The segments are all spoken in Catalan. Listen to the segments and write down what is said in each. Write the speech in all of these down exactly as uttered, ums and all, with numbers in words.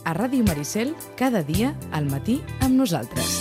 a Ràdio Maricel, cada dia al matí amb nosaltres.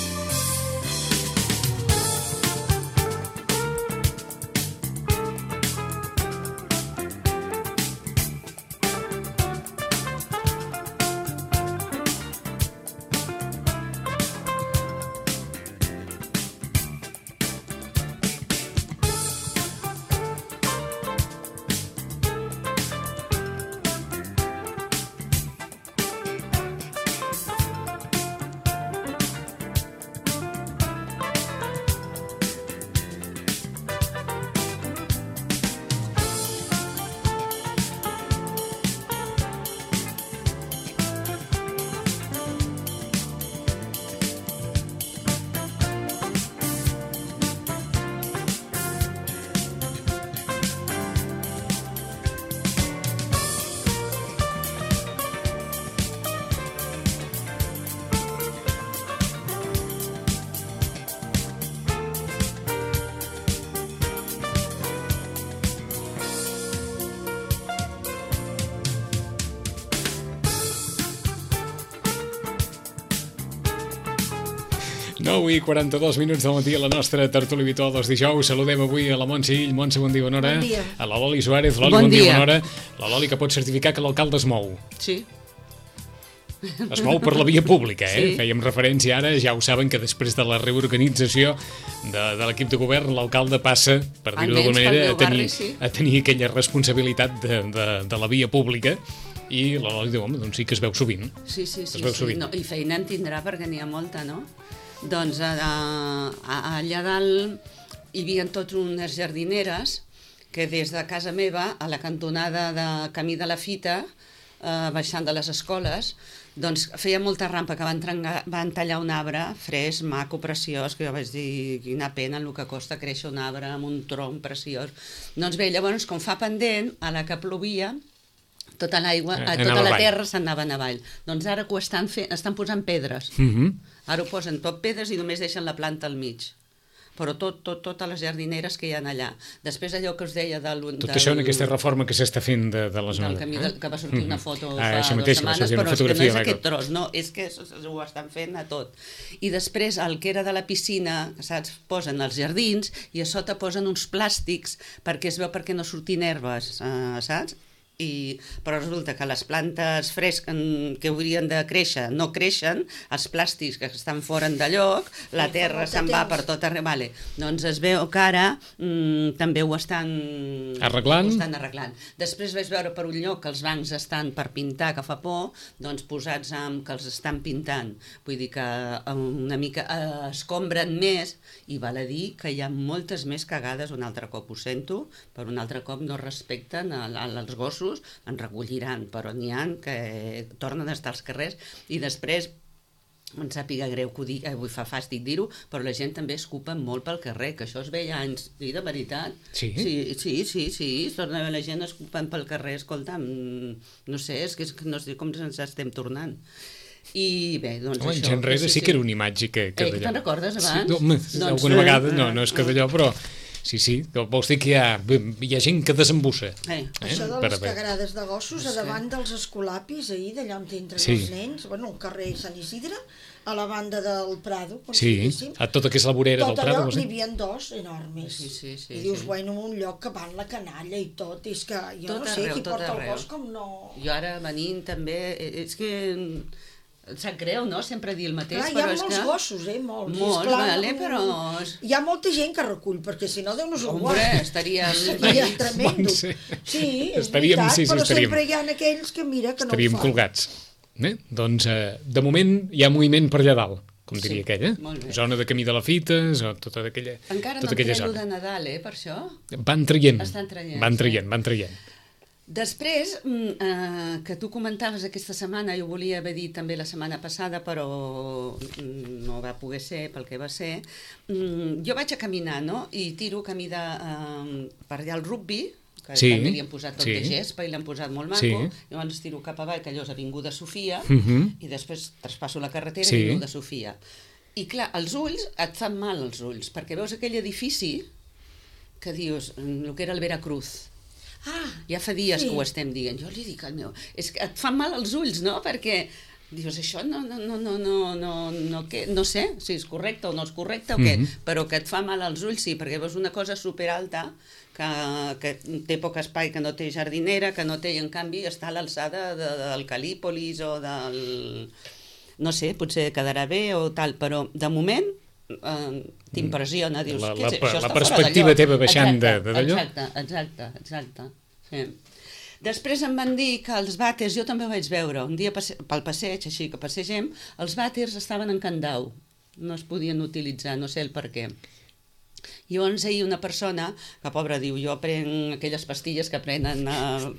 nou i quaranta-dos minuts del matí a la nostra tertúlia habitual dels dijous. Saludem avui a la Montse Ill. Montse, bon dia, bona hora. Bon dia. A la Loli Suárez. Loli, bon, bon dia, dia, bona hora. La Loli que pot certificar que l'alcalde es mou. Sí. Es mou per la via pública, eh? Sí. Fèiem referència ara, ja ho saben, que després de la reorganització de, de l'equip de govern, l'alcalde passa, per dir-ho d'alguna manera, a tenir, sí. a tenir aquella responsabilitat de, de, de la via pública. I la Loli diu, home, doncs sí que es veu sovint. Sí, sí, sí. Es veu sí. sovint. No, i feina en tindrà perquè n'hi ha molta, no? Doncs a, a, allà dalt hi havia tots unes jardineres que des de casa meva a la cantonada de Camí de la Fita, eh, baixant de les escoles, doncs feia molta rampa que van, trengar, van tallar un arbre fresc, maco, preciós, que jo vaig dir quina pena el que costa créixer un arbre amb un tronc preciós. Doncs bé, llavors com fa pendent, a la que plovia, tota l'aigua, Eh, tota anava la avall. terra s'anava avall. Doncs ara que ho estan fent, estan posant pedres. Mhm. Ara ho posen tot pedres i només deixen la planta al mig. Però tot, tot, totes les jardineres que hi ha allà. Després allò que us deia del... Tot del, això en aquesta reforma que s'està fent de, de la del zona. camí de, que va sortir una foto Ah, fa això dues mateix, va setmanes, sortir una però és que no fotografia és de aquest tros, no, és que ho estan fent a tot. I després el que era de la piscina, saps, posen els jardins i a sota posen uns plàstics perquè es veu perquè no sortin herbes, eh, saps? I, però resulta que les plantes fresques que haurien de créixer no creixen, els plàstics que estan fora de lloc, la terra se'n va per tot arreu. Vale. Doncs es veu que ara mm, també ho estan Arreglant. ho estan arreglant. Després vaig veure per un lloc que els bancs estan per pintar, que fa por, doncs posats amb que els estan pintant. Vull dir que una mica eh, escombren més i val a dir que hi ha moltes més cagades, un altre cop ho sento, per un altre cop no respecten a, a, als gossos, en recolliran, però n'hi ha que tornen a estar als carrers i després em sàpiga greu que ho dic, avui fa fàstic dir-ho, però la gent també escupa molt pel carrer, que això es veia anys, sí, de veritat. Sí? Sí, sí, sí, sí, es torna a veure la gent escupant pel carrer, escolta, no sé, és que, és que no sé com ens estem tornant. I bé, doncs Home, això... anys enrere sí, sí, sí que era una imatge que, que eh, que te'n recordes abans? Sí, home, doncs, alguna vegada, no, eh, no és que d'allò, però... Sí, sí, vols dir que hi ha, hi ha gent que desembussa. Eh. Això de Per les haver- cagarades de gossos a Sí. davant dels escolapis, ahir, d'allà on entren Sí. els nens, bueno, al carrer Sant Isidre, a la banda del Prado, com Sí, si diguéssim. a tota que és la vorera Tot del Prado. allò vols n'hi dir? havia dos enormes. Sí, sí, sí, I dius, sí. bueno, en un lloc que van la canalla i tot, és que jo Tot no sé arreu, qui tot porta arreu. el gos com no... Jo ara venint també, eh, és que em sap greu, no?, sempre dir el mateix, Clar, hi ha però és molts que... gossos, eh, molts. I Molts, esclar, vale, no- però... Hi ha molta gent que recull, perquè si no, Déu-nos ho Hombre, guarda. estaríem... Seria tremendo. Sí. Sí, és Estaríem- veritat, sí, sí, però estaríem. sempre hi ha aquells que mira que Estaríem no ho fan. colgats. Eh? Doncs, eh, de moment, hi ha moviment per allà dalt, com diria Sí, aquella. molt bé. Zona de Camí de la Fita, tota aquella, Encara tota no aquella treu zona. de Nadal, eh, per això? Van traient, Estan traient, van sí. traient, van traient. Després, mm, eh, que tu comentaves aquesta setmana, jo volia haver dit també la setmana passada, però mm, no va poder ser pel que va ser, mm, jo vaig a caminar, no?, i tiro camí de, eh, per allà al rugby, que Sí, també li han posat tot sí. de gespa i l'han posat molt maco, Sí. llavors tiro cap avall, que allò és Avinguda Sofia, Mhm. i després traspasso la carretera Sí. i Avinguda Sofia. I clar, els ulls, et fan mal els ulls, perquè veus aquell edifici que dius, mm, el que era el Veracruz. Ah, Ja fa dies sí. que ho estem dient. Jo li dic al meu... És que et fan mal els ulls, no?, perquè dius, això no, no, no, no, no, no, no, què? No sé si és correcte o no és correcte o què, Mhm. però que et fa mal als ulls, sí, perquè veus una cosa superalta que, que té poc espai, que no té jardinera, que no té, i en canvi està a l'alçada de, del Calípolis o del... No sé, potser quedarà bé o tal, però de moment eh, t'impressiona, dius, La- què la- és, això la està fora perspectiva de lloc. teva baixant de- Exacte, de d'allò. Exacte, exacte, exacte, sí. Després em van dir que els vàters, jo també ho vaig veure, un dia passe, pel passeig, així que passegem, els vàters estaven en candau, no es podien utilitzar, no sé el per què. Llavors ahir una persona, que pobra diu, jo prenc aquelles pastilles que prenen, eh,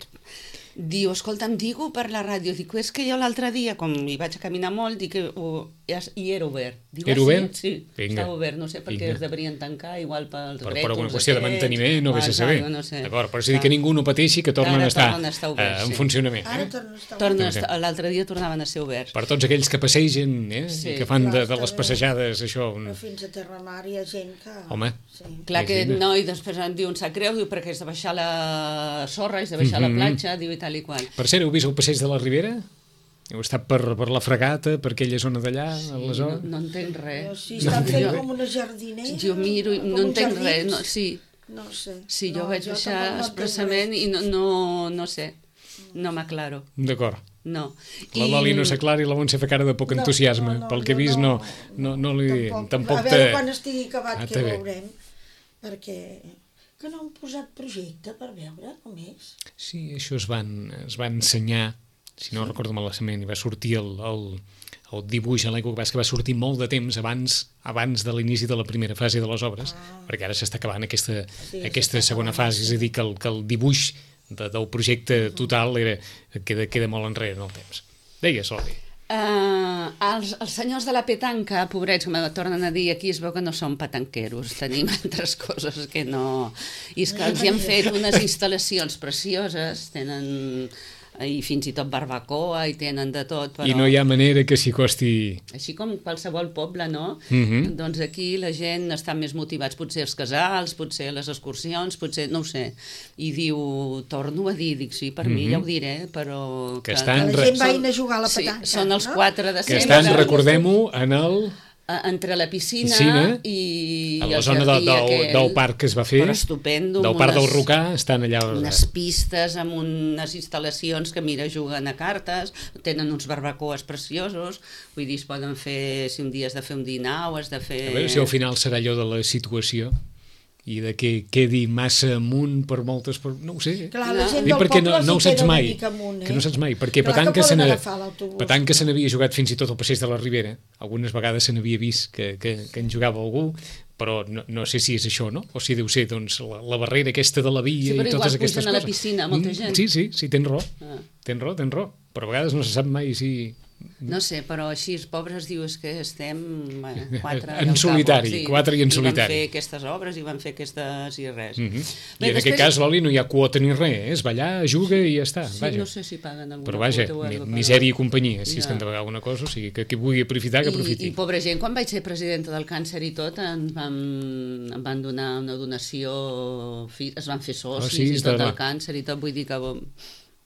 diu, escolta, em digo per la ràdio, dic, és que jo l'altre dia, com hi vaig a caminar molt, dic que uh, i era obert. Diu, Era ah, obert? Sí, sí, Vinga. estava obert, no sé per què Vinga. es deurien tancar, igual pels Per, rètols per alguna qüestió de aquests, manteniment, no o vés a algo, saber. no sé. D'acord, però és a dir Clar. que ningú no pateixi que tornen Ara a estar, tornen a estar oberts, eh, en sí. funcionament. Ara Eh? torna a estar Torna a Ok. estar, l'altre dia tornaven a ser oberts. Per tots aquells que passegen, eh? Sí. I que fan de, Clar, de està les bé. passejades, això... Un... Però fins a Terramar hi ha gent que... Home. Sí. Clar que Imagina. no, i després em diu, em sap greu, diu, perquè has de baixar la sorra, has de baixar Mhm. la platja, diu, i tal i qual. Per cert, heu vist el passeig de la Ribera? Heu estat per, per la Fregata, per aquella zona d'allà, Sí, a la no, zona? no entenc res. Però sí, estan Jo- fent jo- com una jardinera. Jo miro i com no uns entenc jardins. res, no, sí, No sé. sí, jo no, vaig tampoc baixar no entenc expressament res. i no, no, no sé, no m'aclaro, D'acord. no. La Loli no s'aclara i la Montse fa cara de poc No, entusiasme. no, no, Pel que he jo vist, no, no, no li... Tampoc. Tampoc A veure te... quan estigui acabat Ah, que té bé. veurem. Perquè que no han posat projecte per veure com és. Sí, això es van, es va ensenyar, si no recordo malament, i va sortir el, el, el dibuix a l'època que va sortir molt de temps abans abans de l'inici de la primera fase de les obres, Ah. perquè ara s'està acabant aquesta, Sí, aquesta s'està segona acabant, fase, és sí. a dir, que el, que el dibuix de, del projecte total era, queda, queda molt enrere en el temps. Deies, Loli. Uh, els, els senyors de la petanca, pobrets, que me tornen a dir, aquí es veu que no són petanqueros, tenim altres coses que no... I és que els hi han fet unes instal·lacions precioses, tenen i fins i tot barbacoa i tenen de tot, però... I no hi ha manera que s'hi costi... Així com qualsevol poble, no? Mhm. Doncs aquí la gent està més motivats, potser els casals, potser les excursions, potser, no ho sé. I diu, torno a dir, dic, sí, per mi Mhm. ja ho diré, però... Que estan- Que la gent són- vagin a jugar a la petanca. Sí, són els no? quatre de Que sempre. estan, recordem-ho, en el... Entre la piscina, Piscina, i a la el zona de, jardí del, aquell. del parc que es va fer, Però estupendo, del amb parc del unes- Rocà, estan allà... unes pistes amb unes instal·lacions que, mira, juguen a cartes, tenen uns barbacoes preciosos, vull dir, es poden fer, si un dia has de fer un dinar o has de fer... A veure si al final serà allò de la situació i de que quedi massa amunt per moltes... Per... No ho sé. Clar, la gent Dic del perquè no, poble no ho s'hi saps queda una mai. mica amunt, eh? Que no saps mai, perquè Clar que petanca se poden n'ha- agafar l'autobús. petanca se n'havia jugat fins i tot al passeig de la Ribera. Algunes vegades se n'havia vist que, que, que en jugava algú, però no, no sé si és això, no? O si deu ser doncs, la, la barrera aquesta de la via Sí, però i igual totes aquestes pugen a la coses. piscina, molta Mm, gent. Sí, sí, sí, tens raó. Ah. Tens raó, tens raó. Però a vegades no se sap mai si... No sé, però així els pobres dius que estem eh, quatre... En i al solitari, cabo, quatre i en solitari. I van fer aquestes obres i van fer aquestes i res. Mm -hmm. Bé, I en aquest després- cas, Loli, no hi ha quota ni res, eh? Es va allà, juga i ja està. Sí, vaja. no sé si paguen alguna Però vaja, quota o mi- alguna cosa. misèria i companyia, si és Ja. que han de pagar alguna cosa, o sigui, que qui vulgui aprofitar, que aprofiti. I, I pobra gent, quan vaig ser presidenta del càncer i tot, em van, em van donar una donació, fi- es van fer socis Oh, sí, i tot està el clar. càncer i tot, vull dir que bo,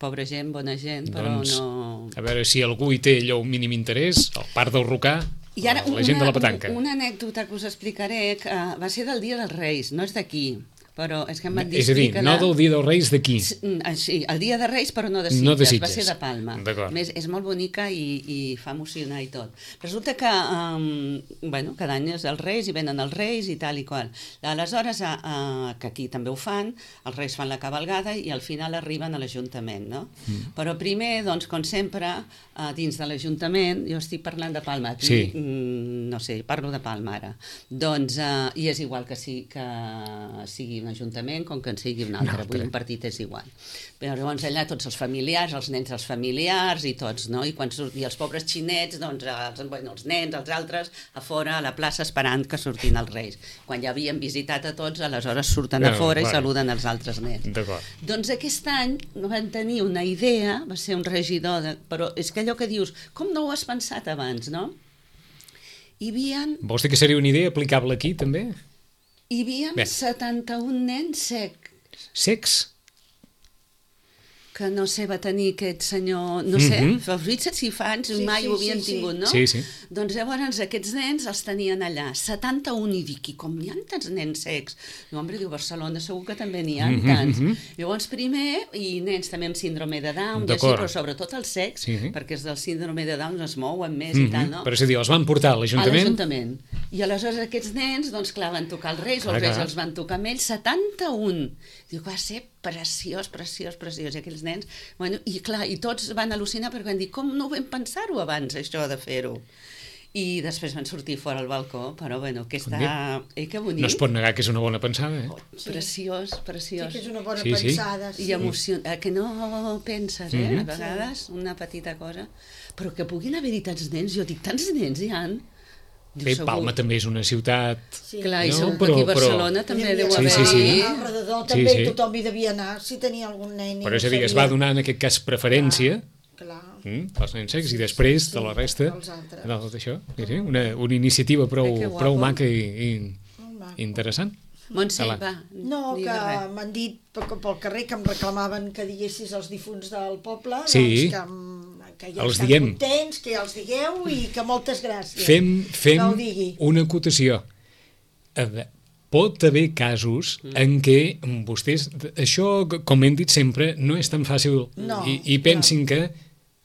pobra gent, bona gent, però Doncs, no... a veure si algú hi té allò un mínim interès, al parc del Rocà, I ara, la gent de la petanca. Una, una anècdota que us explicaré, que va ser del Dia dels Reis, no és d'aquí, però és que em van dir... És a dir, explica-la. no del Dia dels Reis d'aquí. Sí, el Dia de Reis, però no de Sitges, No de va Sitges. ser de Palma. D'acord. Més, és molt bonica i, i fa emocionar i tot. Resulta que, um, bueno, cada any és els Reis i venen els Reis i tal i qual. Aleshores, uh, uh, que aquí també ho fan, els Reis fan la cavalgada i al final arriben a l'Ajuntament, no? Mm. Però primer, doncs, com sempre, uh, dins de l'Ajuntament, jo estic parlant de Palma, aquí, Sí. mm, no sé, parlo de Palma ara. Doncs, uh, i és igual que, sí, que sigui un ajuntament com que en sigui un altre, Un altre. vull dir, un partit és igual. Però llavors allà tots els familiars, els nens els familiars i tots, no? I, quan surt, i els pobres xinets, doncs els, bueno, els nens, els altres, a fora, a la plaça, esperant que surtin els reis. Quan ja havien visitat a tots, aleshores surten a No, fora i vale. saluden els altres nens. D'acord. Doncs aquest any van tenir una idea, va ser un regidor, de, però és que allò que dius, com no ho has pensat abans, no? Hi havia, Vols dir que seria una idea aplicable aquí, també? hi havia Bé. setanta-un nens secs. Secs? que no sé, va tenir aquest senyor, no sé, Mhm. els vuit infants Sí, mai sí, ho havien sí, sí. tingut, no? Sí, sí. Doncs llavors aquests nens els tenien allà, setanta-un, i dic, i com hi ha tants nens secs? Diu, home, diu, Barcelona segur que també n'hi ha Mhm, tants. mhm. Llavors, primer, i nens també amb síndrome de Down, i així, D'acord. però sobretot els secs, Sí, sí. perquè els del síndrome de Down es mouen més i tal, no? Però és a dir, els van portar a A l'Ajuntament? l'Ajuntament. I aleshores aquests nens, doncs clar, van tocar els Reis, Clar, els Reis clar. els van tocar amb ells, setanta-un. Diu, va ser preciós, preciós, preciós. I aquells nens, bueno, i clar, i tots van al·lucinar perquè van dir, com no vam pensar-ho abans, això de fer-ho? I després van sortir fora al balcó, però bueno, que està... Eh, que bonic. No es pot negar que és una bona pensada, eh? Oh, preciós, Sí preciós. que és una bona Sí, sí. pensada. Sí. I emoció... eh, que no penses, eh? Mhm. A vegades, una petita cosa. Però que puguin haver-hi tants nens, jo dic, tants nens hi ha. Diu, Bé, segur- Palma també és una ciutat... Sí. Clar, i No, segur que però- aquí a però- Barcelona també Hi deu havia- Sí, haver... sí, sí. Al redador Sí, també sí. tothom hi devia anar, si tenia algun nen. i Però no és a dir, es sabia. va donar en aquest cas preferència Clar. mm, als nens secs i després Sí, de la resta dels altres. del- d'això. Sí, sí, una, una iniciativa prou, Ai, que guapo. prou maca i, i Molt maco. interessant. Montse, Ala. va, No, que digues res. m'han dit pel, pel carrer que em reclamaven que diguessis els difunts del poble, Sí. doncs que, em- que ja Els estan diem. contents, que ja els digueu i que moltes gràcies. Fem, fem Que ho digui. una acotació. A veure, pot haver casos Mm. en què vostès... Això, com hem dit sempre, no és tan fàcil. No, I, I pensin que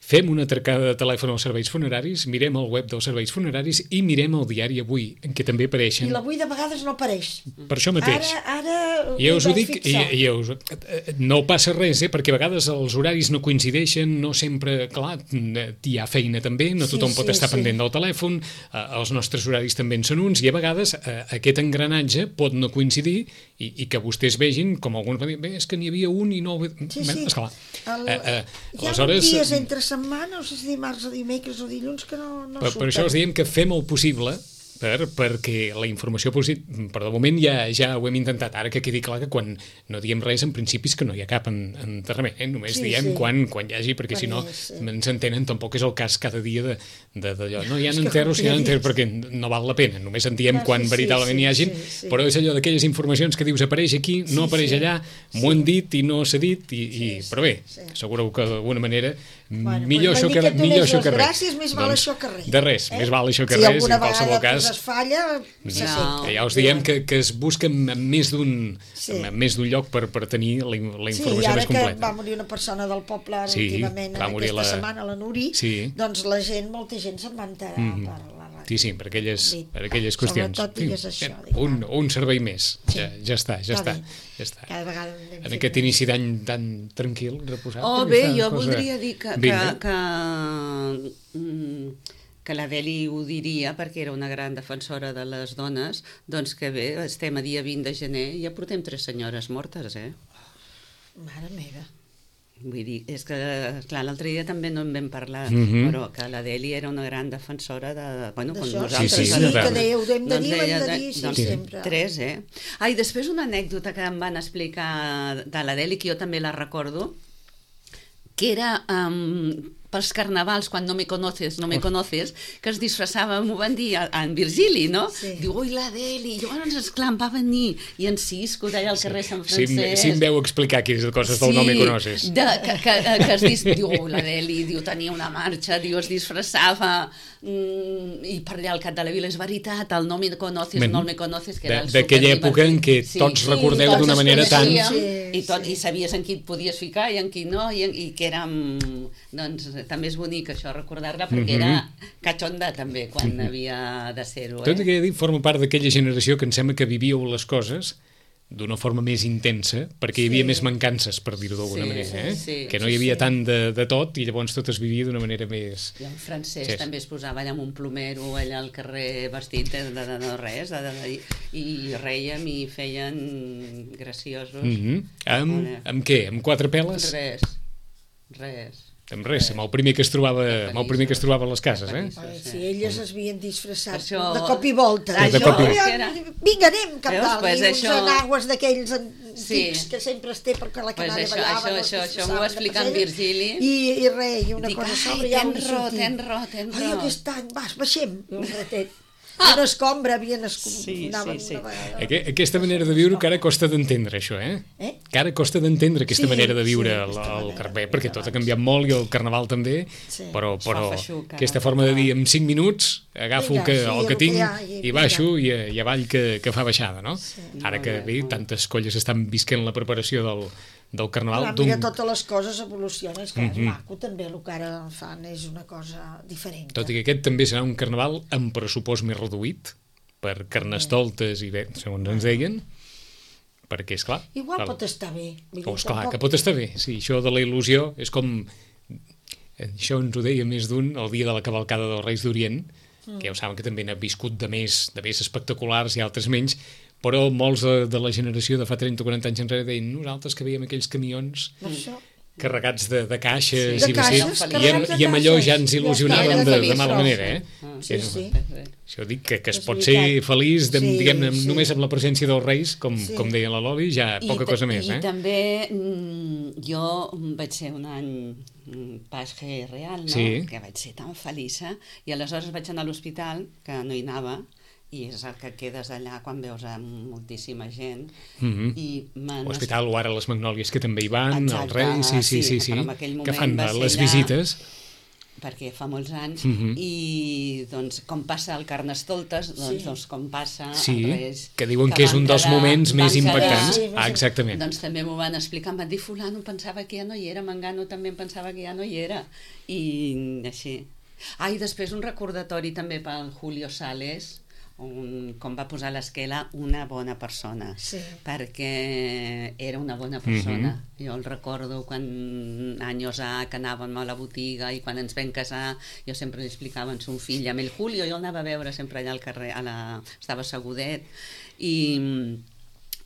fem una atracada de telèfon als serveis funeraris, mirem el web dels serveis funeraris i mirem el diari Avui, en què també I apareixen. l'avui de vegades no apareix. Per això mateix. Ara, ara Ja us ho vaig dic, i, fixar. i us, eh, no passa res, eh, perquè a vegades els horaris no coincideixen, no sempre, clar, hi ha feina també, no Sí, tothom pot sí, estar sí. pendent del telèfon, eh, els nostres horaris també en són uns, i a vegades eh, aquest engranatge pot no coincidir i, i que vostès vegin, com alguns van dir, bé, és que n'hi havia un i no... Sí, Bé, sí. esclar. El, Eh, eh, hi ha aleshores, dies entre setmana, no sé si dimarts o dimecres o dilluns, que no, no Per, per surten. això els diem que fem el possible per, perquè la informació positiva, però de moment ja ja ho hem intentat, ara que quedi clar que quan no diem res en principi és que no hi ha cap en, enterrament, eh? Només Sí, diem sí. quan, quan hi hagi, perquè Quan si no hi és, sí. ens entenen, tampoc és el cas cada dia de, de, d'allò, no hi ha És que enterros, com hi ha ja enterros, dius. perquè no val la pena, només en diem Clar, quan sí, sí, veritablement sí, hi hagin, sí, sí. però és allò d'aquelles informacions que dius apareix aquí, no Sí, apareix sí. allà, m'ho han dit i no s'ha dit, i, i, Sí, sí, però bé, sí. assegureu que d'alguna manera Bueno, millor doncs això m'han que, dit que et millor donés això que les res. gràcies, més val això que res. De res, més val això que si res, alguna en qualsevol vegada cas. pues, es falla, se No. sent. Que ja us diem que, que es busca en en més d'un Sí. en més d'un lloc per, per tenir la, in- la Sí, i informació ara més que completa. va morir una persona del poble ara Sí, últimament, va en morir aquesta la- setmana, la Nuri, Sí. doncs la gent, molta gent se'n va enterar Mhm. per la ràdio. Sí, sí, per aquelles, Sí. per aquelles qüestions. Sobretot digues això, Bé, dic, un, va. un servei més, Sí. ja, ja està, ja Està està. bé. Ja està. Cada vegada en anem En fent aquest més. inici d'any tan tranquil, reposat. Oh, aquesta bé, jo cosa- voldria dir que, que, Vinga. que, mm, que la Deli ho diria, perquè era una gran defensora de les dones, doncs que bé, estem a dia vint de gener i ja portem tres senyores mortes, eh? Mare meva. Vull dir, és que, clar, l'altre dia també no en vam parlar, Mhm. però que la Deli era una gran defensora de... Bueno, com D'això, nosaltres. sí, sí, de- de- que dèieu, ho hem de doncs dir, ho hem deia de dir, sí, doncs, sempre. Tres, eh? Ah, i després una anècdota que em van explicar de la Deli, que jo també la recordo, que era um, pels carnavals, quan no me conoces, no me conoces, que es disfressava, m'ho van dir, a- en Virgili, no? Sí. Diu, ui, la Deli, i llavors, esclar, em va venir, i en Cisco, d'allà al carrer Sant Si, em- Francesc... si em veu explicar quines coses del no me conoces. De, que, que, que es dis, diu, la Deli, diu, tenia una marxa, diu, es disfressava, mm, i per allà al cap de la vila, és veritat, el no me conoces, Ben, no me conoces, que de- era el d'aquella superdivertit. època en què tots recordeu tots d'una es manera tan- coneixíem, Sí, i, tot, sí. i sabies en qui et podies ficar i en qui no, i, en, i que érem, doncs, també és bonic això, recordar-la, perquè Mhm. era catxonda també, quan havia de ser-ho, Tot i eh? que he dit, forma part d'aquella generació que em sembla que vivíeu les coses d'una forma més intensa, perquè hi havia Sí. més mancances, per dir-ho d'alguna Sí, manera, eh? sí, que no sí, hi havia sí. tant de, de tot i llavors tot es vivia d'una manera més... I el francès Sí. també es posava allà amb un plomero allà al carrer vestit de, de, de, de res de, de, de, i reiem i feien graciosos. Mm -hmm. amb, Vale. amb què? Amb quatre peles? Res, res. Amb res, amb el primer que es trobava, amb el primer que es trobava a les cases, eh? Ai, si elles es havien disfressat Això- de cop i volta. Ah, de cop i- ja, Era- vinga, anem cap Veus? dalt. Pues I uns això- enagües d'aquells Sí. antics que sempre es té perquè la Pues canalla això- ballava. això- no això- es això m'ho va disfressaven de explicar en pessetes. Virgili. I, i res, i una Dic, cosa a ai, sobre ja tens ho raó, sortim. tens raó, tens Ai, raó. aquest any, vas, baixem, un ratet. una escombra havien escom... Sí, sí, sí. Aqu aquesta manera de viure que ara costa d'entendre, això, eh? Eh? Que ara costa d'entendre aquesta Sí, manera de viure sí, al, aquesta al manera carrer, de perquè viure tot ha abans. canviat molt i el carnaval també, Sí. però, Es fa però feixuc, aquesta ara, forma de tot dir en cinc minuts agafo el Vinga, que, sí, el el que que tinc hi ha, i i baixo vinga. i, i avall que, que fa baixada, no? Sí. Ara que Molt bé, bé, molt bé. tantes colles estan visquent la preparació del, del carnaval. Clar, d'un- mira, totes les coses evolucionen, és que Mhm. és maco també, el que ara fan és una cosa diferent. Tot i que aquest també serà un carnaval amb pressupost més reduït, per carnestoltes i bé, segons ens deien, perquè, és clar... Igual el- pot estar bé. Vull dir, Oh, esclar, tampoc- que pot estar bé, sí, això de la il·lusió és com... Això ens ho deia més d'un el dia de la cavalcada dels Reis d'Orient, que ja ho saben que també n'ha viscut de més, de més espectaculars i altres menys, però molts de, de la generació de fa trenta o quaranta anys enrere deien nosaltres que veiem aquells camions Per això. carregats de, de caixes Sí. i De caixes, vacils, i, amb, carregats de i amb allò caixes. ja ens Ja il·lusionàvem està, de, ja de està. mala manera, eh? Sí, És- sí. Això dic que, que es És pot veritat. ser feliç, de, Sí, diguem-ne, sí. només amb la presència dels Reis, com, Sí. com deia la Loli, ja poca ta- cosa més, I eh? també mm, jo vaig ser un any mm, Pasge Real, no? Sí. Que vaig ser tan feliça, i aleshores vaig anar a l'hospital, que no hi anava, i és el que quedes allà quan veus a moltíssima gent, Mhm. i m'han... L'hospital o ara les Magnòlies, que també hi van, Exacte, els Reis, sí, sí, sí, sí, però en aquell que fan moment va ser les allà- visites. perquè fa molts anys, Mhm. i doncs com passa el Carnestoltes, doncs, Sí. doncs com passa Sí, els Reis... que diuen que és van un dels quedar- moments més van quedar- impactants. Sí, Ah, exactament. Doncs també m'ho van explicar, em van dir fulano pensava que ja no hi era, Mangano també em pensava que ja no hi era, i així. Ah, i després un recordatori també pel Julio Sales, un, com va posar a l'esquela una bona persona, Sí. perquè era una bona persona. Jo el recordo quan anys ha que anàvem a la botiga i quan ens vam casar jo sempre li explicava a son fill, amb el Julio, jo el anava a veure sempre allà al carrer, a la... estava assegudet, i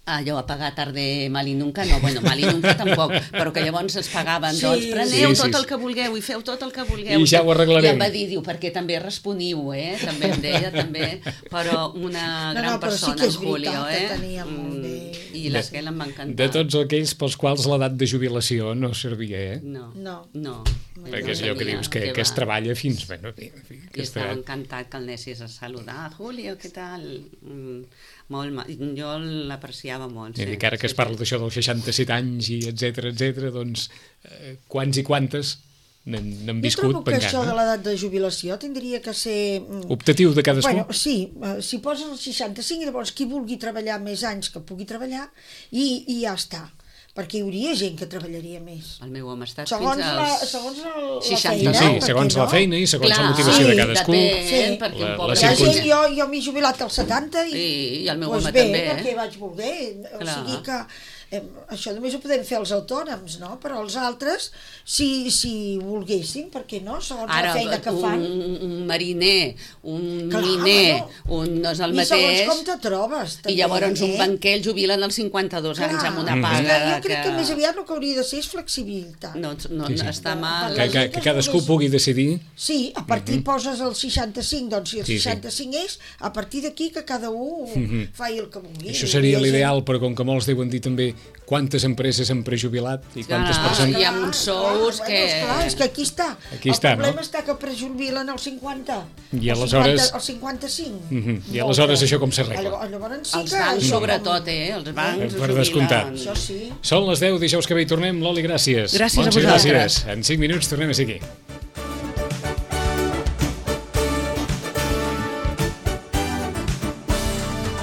allò a pagar tarde mal i nunca, no, bueno, mal i nunca tampoc, però que llavors ens pagaven, Sí. doncs preneu Sí, sí, tot sí. el que vulgueu i feu tot el que vulgueu. I ja ho arreglarem. I em va dir, diu, perquè també responiu, eh? També em deia, també, però una No, gran no, però sí persona, que és el Julio, veritat que eh? tenia molt bé. I l'esquela em va encantar. De tots aquells pels quals l'edat de jubilació no servia, eh? No, No. no. Perquè és allò que tenia, dius, que, què que es va. treballa fins... Bueno, en fi, I que estava està... encantat que el anessis a saludar. Julio, què tal? Mm, molt ma... Jo l'apreciava molt. I Sí, dic, ara que es sí, parla sí. d'això dels seixanta-set anys i etcètera, etcètera, doncs eh, quants i quantes n'han n'han Jo viscut trobo que pengant, això de no? l'edat de jubilació tindria que ser... mm, Optatiu de cadascú? Bueno, sí, eh, si poses els seixanta-cinc, llavors qui vulgui treballar més anys que pugui treballar i, i ja està, perquè hi hauria gent que treballaria més. El meu home ha estat Segons fins la, als... segons la, la seixanta. feina, No, sí, per segons què la no? feina i segons la Clar, motivació de sí, cadascú. Depèn, Sí. perquè La- un la pobre... Hi ha circumstància. gent, jo, jo m'he jubilat als setanta i, I- i el meu doncs home bé, també, eh? perquè vaig voler. O Clar. sigui que eh, això només ho podem fer els autònoms, no? Però els altres, si, si volguessin, per què no? Segons Ara, la feina que un, fan. un mariner, un Clar, miner, bueno, un no és el I mateix... segons com te trobes. I també, llavors un eh? banquer el jubilen als cinquanta-dos anys amb una Mm. paga... És que jo crec que... més aviat el que hauria de ser és flexibilitat. No, no, Sí, sí. està mal... Que, que, que cadascú pugui decidir. Sí, a partir mm -hmm. poses el seixanta-cinc, doncs si el Sí, sí. seixanta-cinc és, a partir d'aquí que cada un mm -hmm. faci el que vulgui. Això seria Hi ha gent- l'ideal, però com que molts deuen dir també quantes empreses han prejubilat i quantes Clar, persones... hi ha uns sous clar, que- Bueno, esclar, és que aquí està. Aquí el està, problema no? està que prejubilen als cinquanta. I als aleshores- cinquanta, als cinquanta-cinc. Mhm. I aleshores això com s'arregla? Llavors, llavors sí Els que... bancs, això sobretot, com- eh? Els bancs Per ho descomptat. jubilen. Això sí. Són les deu, dijous que ve hi tornem. Loli, gràcies. Gràcies a Montse, vosaltres. gràcies. En cinc minuts tornem a ser aquí.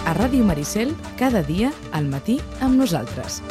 A Ràdio Maricel, cada dia al matí amb nosaltres.